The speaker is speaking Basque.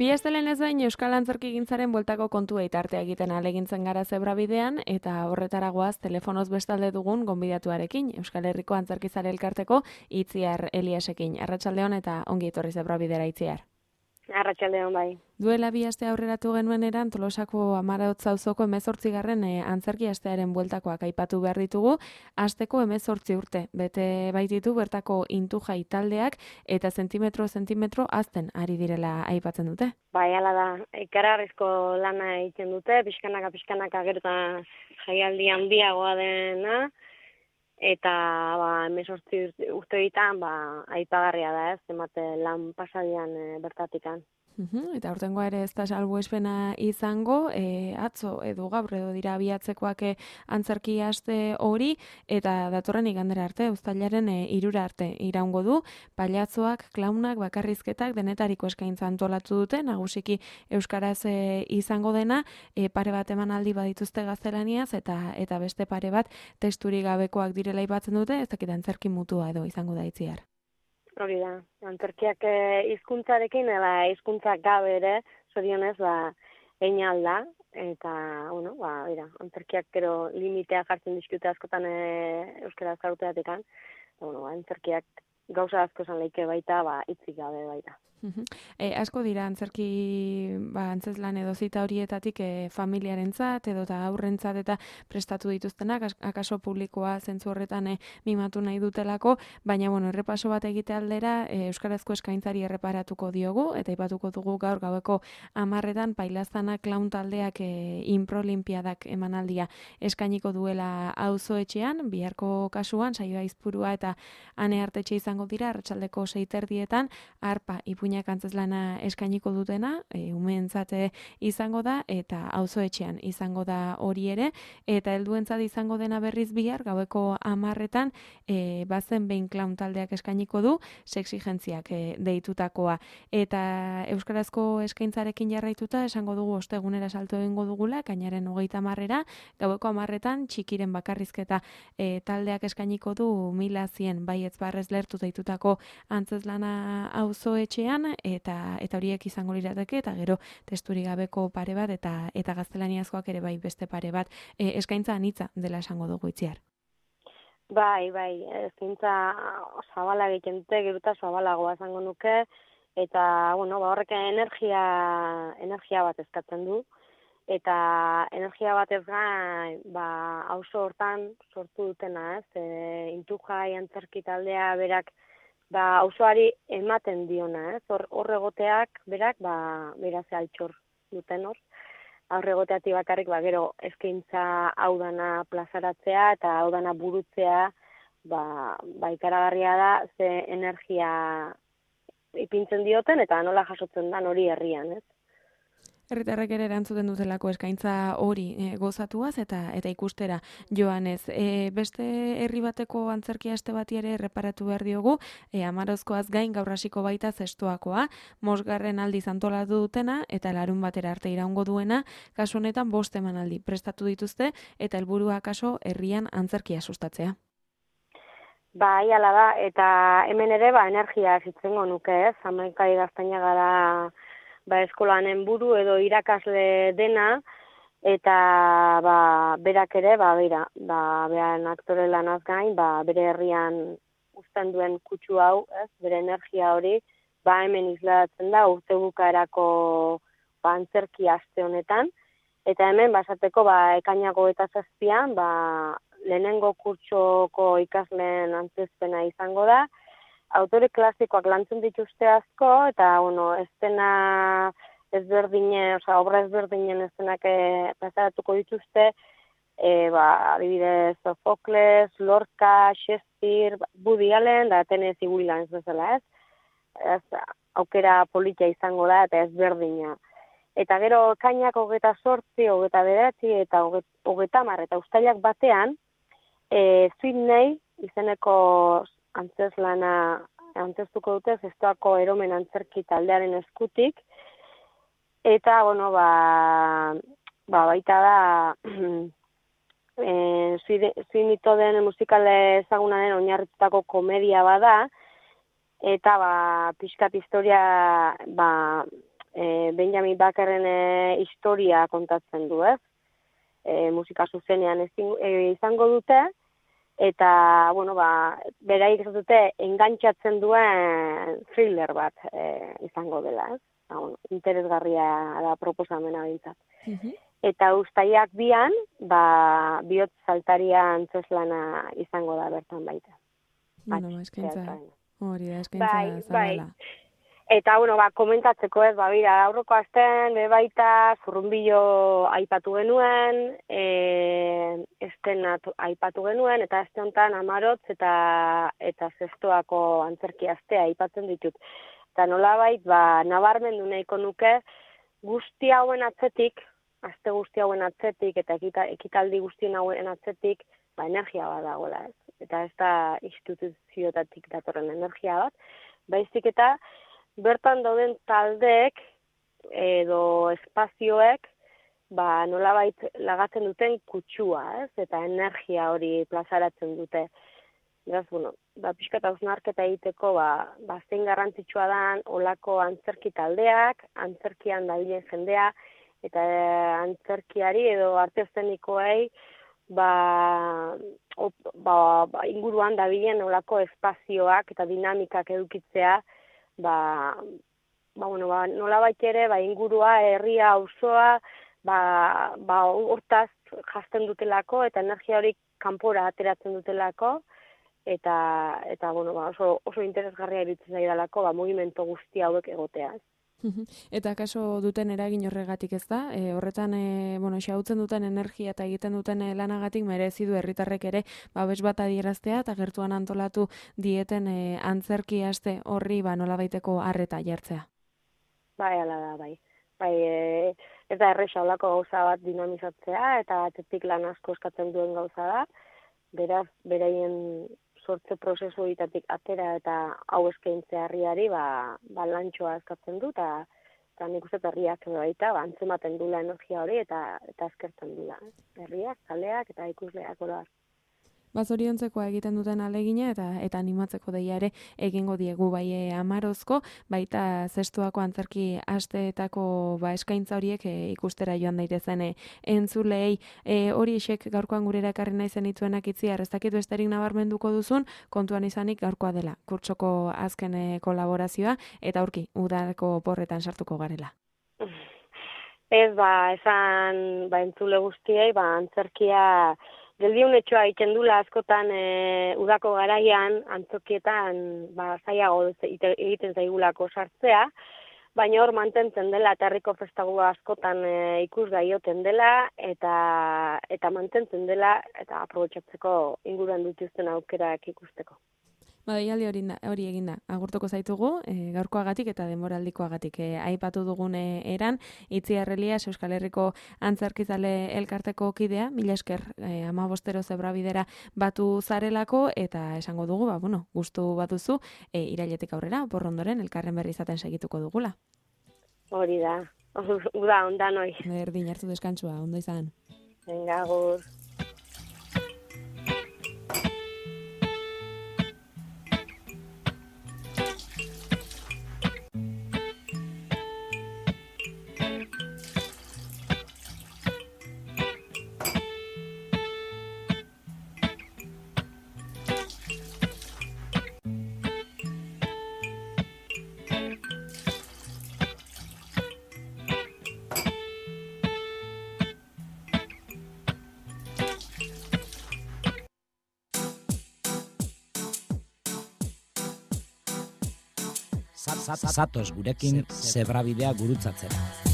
Bi astelen ez bain Euskal Antzerkigintzaren bueltako kontua itartea egiten ahalegintzen gara zebrabidean eta horretara goaz telefonoz bestalde dugun gonbidatuarekin, Euskal Herriko Antzerkizale Elkarteko Itziar Eliasekin. Arratsaldeon eta ongi etorri zebrabidera, Itziar. Arratsaldeon bai. Duela 2 aste aurreratu genuen eran Tolosako Amarautz auzoko 18. Antzerki astearen bueltakoak aipatu behar ditugu. Asteko 18 urte bete baititu bertako Intujai taldeak eta zentimetro azten ari direla aipatzen dute. Bai, hala da. Ikaragarrizko lana egiten dute, pixkanaka gero eta jaialdi handiagoa dena. Eta 18 urteetan aipagarria da, zenbate lan pasadian bertatikan. Eta aurtengoa ere ez da salbuespena izango, atzo edo gaur edo dira abiatzekoak antzerki aste hori, eta datorren igandera arte, uztailaren 3 arte iraungo du, pailatzoak, klaunak, bakarrizketak denetariko eskaintza antolatu dute, nagusiki euskaraz izango dena, pare bat emanaldi badituzte gaztelaniaz, eta beste pare bat testurik gabekoak direla aipatzen dute, ez dakit antzerki mutua edo izango da, Itziar. Hori da, antzerkiak hizkuntzarekin eta hizkuntzak gabe ere, zorionez, egin alda, eta, antzerkiak gero limitea jartzen dizkute askotan euskara azkaruteatekan, antzerkiak gauza asko esan leike baita, hitzik gabe baita. Asko dira antzerki antzezlan edo zita horietatik familiarentzat edo eta aurrentzat eta prestatu dituztenak, akaso publikoa zentzu horretan mimatu nahi dutelako, baina errepaso bat egite aldera euskarazko eskaintzari erreparatuko diogu eta aipatuko dugu gaur gaueko 10 Pailazana Klaun taldeak Inprolimpiadak emanaldia eskainiko duela auzoetxean, biharko kasuan Saio Aizpurua eta Ane Artetxe izango dira arratsaldeko 6:30 arpa ipuinak antzezlana eskainiko dutena, umeentzat izango da, eta auzoetxean izango da hori ere, eta helduentzat izango dena berriz bihar, gaueko 10 bazen behin klaun taldeak eskainiko du, sexigentziak deitutakoa. Eta euskarazko eskaintzarekin jarraituta, esango dugu ostegunera salto egingo dugula, kainaren 30 gaueko 10 txikiren bakarrizketa taldeak eskainiko du 1100 baietz barrez lertu deitutako antzezlana auzoetxean, eta horiek izango lirateke, eta gero testurik gabeko pare bat, eta gaztelaniazkoak ere bai beste pare bat, eskaintza anitza dela esango dugu, Itziar. Bai, eskaintza zabala egiten dute, gero eta zabalagoa esango nuke, eta, horrek energia bat eskatzen du, eta energia bat ez gain, auzo hortan sortu dutena, Intujai antzerki taldea berak, auzoari ematen diona, hor egoteak berak, beraz altxor duten hor. Hor egoteatik bakarrik, gero eskaintza hau dana plazaratzea eta hau dana burutzea, ikaragarria da, ze energia ipintzen dioten eta nola jasotzen dan hori herrian, Herritarrek ere erantzuten dutelako eskaintza hori gozatuaz eta ikustera joanez. Beste herri bateko antzerki aste bati ere erreparatu behar diogu, Amarozkoaz gain gaur hasiko baita zestoakoa, 5. aldiz antolatu dutena eta larun batera arte iraungo duena, kasu honetan 5 emanaldi prestatu dituzte eta helburua kaso herrian antzerkia sustatzea. Bai, hala da, eta hemen ere energia zitzengo nuke, Hamaika gaztaina gara eskolanen buru edo irakasle dena, eta berak ere, behan aktore lanaz gain, bere herrian uzten duen kutsu hau, bere energia hori, hemen islatzen da urte bukaerako antzerki aste honetan, eta hemen basateko ekainako eta 7 lehenengo kurtsoko ikasleen antzezpena izango da, autore klasikoak lantzen dituzte asko, eta, estena ezberdinen, obra ezberdinen estenak plazaratuko dituzte, adibidez, Sofokles, Lorca, Shakespeare, Woody Allen, da Tennessee Williams bezala, ez aukera politia izango da, eta ezberdina. Eta gero, kainak 28, 29, eta 30, eta uztailak batean, Sydney izeneko antzezlana antzeztuko dute zestoako eromen antzerki taldearen eskutik, eta, baita da, Zuinito den musikale ezagunaren oinarritutako komedia bada, eta pixkat historia Benjamin Bakerren historia kontatzen du, ez? Musika zuzenean izango dute, eta, bueno, beraik ez dute engantxatzen duen thriller bat izango dela, ez? Bueno, interesgarria da proposamena bintzat. Eta uztaiak 2an, bihotz saltaria antzeslana izango da bertan baita. Bueno, eskaintza, hori da, eskaintza zabala. Eta, bueno, komentatzeko ez, bira, aurreko astean, baita, Zurrunbilo aipatu genuen, estenat aipatu genuen, eta aste honetan Amarotz eta Zestoako antzerki astea aipatzen ditut. Eta nolabait, nabarmendu nahiko nuke, guzti hauen atzetik, aste guzti hauen atzetik, eta ekitaldi guztien hauen atzetik, energia bat dagoela, ez? Eta ez da instituzioetatik datorren energia bat, baizik eta bertan dauden taldeek edo espazioek nolabait lagatzen duten kutsua, ez? Eta energia hori plazaratzen dute. Beraz, bueno, pixka eta hausnarketa egiteko zein garrantzitsua dan olako antzerki taldeak, antzerkian dabilen jendea, eta antzerkiari edo arte eszenikoei inguruan dabilen olako espazioak eta dinamikak edukitzea, nolabait ere, ingurua, herria, auzoa, hortaz jazten dutelako, eta energia hori kanpora ateratzen dutelako, eta oso interesgarria iruditzen zaidalako, mugimendu guzti hauek egotea. Eta kaso duten eragin horregatik, ez da? Horretan, xahutzen duten energia eta egiten duten lanagatik merezi du herritarrek ere babes bat adieraztea eta gertuan antolatu dieten antzerki aste horri nolabaiteko arreta jartzea. Hala da, ez da erresa olako gauza bat dinamizatzea eta atzetik lan asko eskatzen duen gauza da, beraz, beraien sortze prozesu horitatik atera eta hau eskaintzea herriari lantxoa eskatzen du, eta nik uste herriak baita antzematen dula energia hori eta eskertzen dula. Herriak, zaleak eta ikusleak oroar. Zoriontzekoa egiten duten alegina eta animatzeko deia ere egingo diegu bai Amarozko, baita Zestoako antzerki asteetako eskaintza horiek ikustera joan daitezen entzulei. Hori esek gaurkoan gurera ekarri nahi zenituenak itziar, ez dakit besterik nabarmenduko duzun, kontuan izanik gaurkoa dela, kurtsoko azken kolaborazioa, eta aurki, udako porretan sartuko garela. Ez, esan entzule guztiei, antzerkia geldiunetxoa egiten dula askotan udako garaian antzokietan zailago egiten zaigulako sartzea, baina hor mantentzen dela eta herriko festagu askotan ikusgai joten dela eta mantentzen dela eta aprobetxatzeko inguruan dituzten aukerak ikusteko. Deialdi hori eginda, agurtuko zaitugu, gaurkoagatik eta denboraldikoagatik aipatu dugun eran, Itziar Elias Euskal Herriko Antzerkizale elkarteko kidea, mila esker 15 zebrabidera batu zarelako, eta esango dugu, gustu baduzu, irailetik aurrera, porrondoren elkarren berri izaten segituko dugula. Hori da, uda, ondan hoi. Berdin, hartu deskantzua, ondo izan. Venga, agur. Zatoz gurekin zebrabidea gurutzatzera.